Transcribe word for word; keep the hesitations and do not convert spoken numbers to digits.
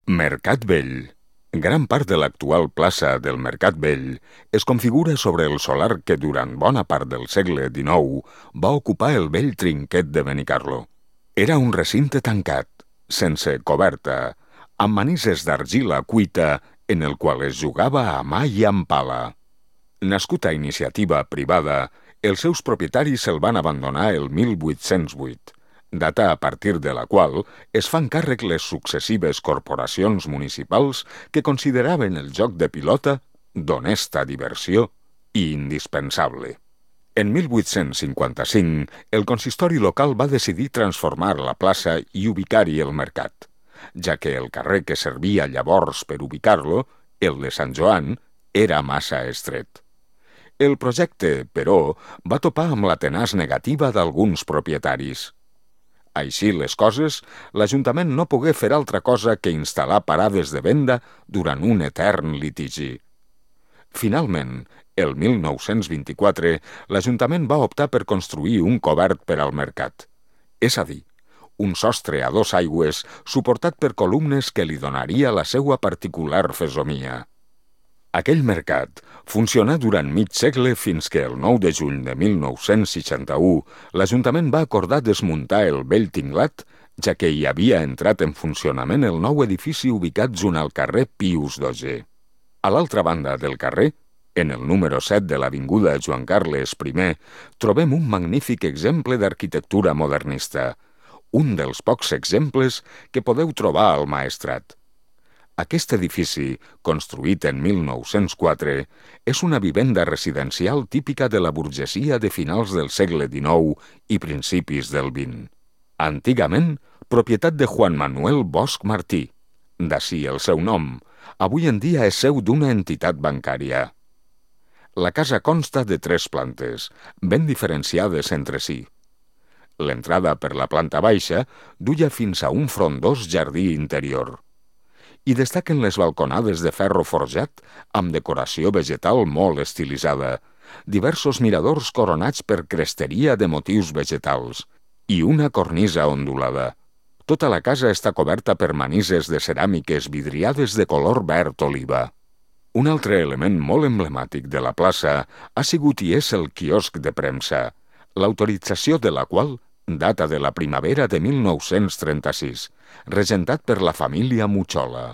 Mercat Vell. Gran part de l'actual plaça del Mercat Vell es configura sobre el solar que durant bona part del segle dinou va ocupar el vell trinquet de Benicarló. Era un recinte tancat, sense coberta, amb manises d'argila cuita en el qual es jugava a mà i amb pala. Nascut a iniciativa privada, els seus propietaris el van abandonar el mil vuit-cents vuit, data a partir de la qual es fan càrrec les successives corporacions municipals que consideraven el joc de pilota d'honesta diversió i indispensable. En mil vuit-cents cinquanta-cinc, el consistori local va decidir transformar la plaça i ubicar-hi el mercat, ja que el carrer que servia llavors per ubicar-lo, el de Sant Joan, era massa estret. El projecte, però, va topar amb la tenaç negativa d'alguns propietaris. Així les coses, l'Ajuntament no pogué fer altra cosa que instal·lar parades de venda durant un etern litigi. Finalment, el mil nou-cents vint-i-quatre, l'Ajuntament va optar per construir un cobert per al mercat, és a dir, un sostre a dos aigües suportat per columnes que li donaria la seua particular fesomia. Aquell mercat funcionà durant mig segle fins que el nou de juny de mil nou-cents seixanta-u l'Ajuntament va acordar desmuntar el vell tinglat, ja que hi havia entrat en funcionament el nou edifici ubicat junt al carrer Pius dotzè. A l'altra banda del carrer, en el número set de l'avinguda Joan Carles primer, trobem un magnífic exemple d'arquitectura modernista, un dels pocs exemples que podeu trobar al Maestrat. Aquest edifici, construït en mil nou-cents quatre, és una vivenda residencial típica de la burgesia de finals del segle dinou i principis del vint. Antigament, propietat de Juan Manuel Bosch Martí, d'ací el seu nom, avui en dia és seu d'una entitat bancària. La casa consta de tres plantes, ben diferenciades entre si. L'entrada per la planta baixa duia fins a un frondós jardí interior. I destaquen les balconades de ferro forjat amb decoració vegetal molt estilitzada, diversos miradors coronats per cresteria de motius vegetals i una cornisa ondulada. Tota la casa està coberta per manises de ceràmiques vidriades de color verd oliva. Un altre element molt emblemàtic de la plaça ha sigut i és el quiosc de premsa, l'autorització de la qual data de la primavera de mil nou-cents trenta-sis, regentat per la família Muchola.